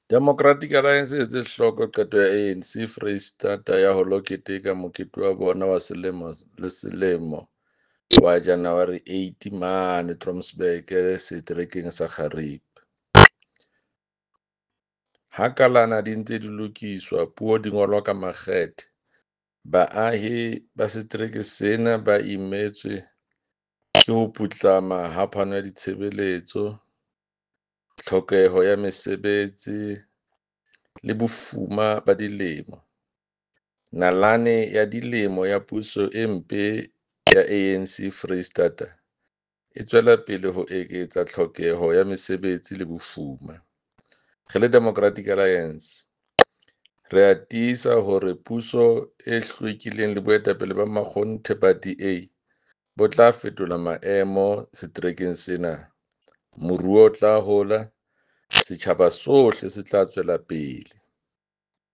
Democratic Alliance e etse hloko qeto ya ANC Freistata ya ho lo keteka mokete wa bona wa selemo le selemo wa January 8 mane Trompsburg Seterekeng sa Xhariep. Ha kalana di ntse di lokiswa puo di ngolwa ka makgethe, baahi ba setereke sena ba imetswe ke ho putlama ha phano ya ditshebeletso, tlhokeho ya mesebetsi le bofuma ba dilemo. Nalane ya dilemo ya puso e mpe ya ANC Freistata e tswela pele ho eketsa tlhokeho ya mesebetsi le bofuma. Re le Democratic Alliance, re a tiisa hore puso e hlwekileng le boetapele ba makgonthe ba DA bo tla fetola maemo seterekeng sena, moruo o tla hola, setjhaba sohle se tla tswela pele.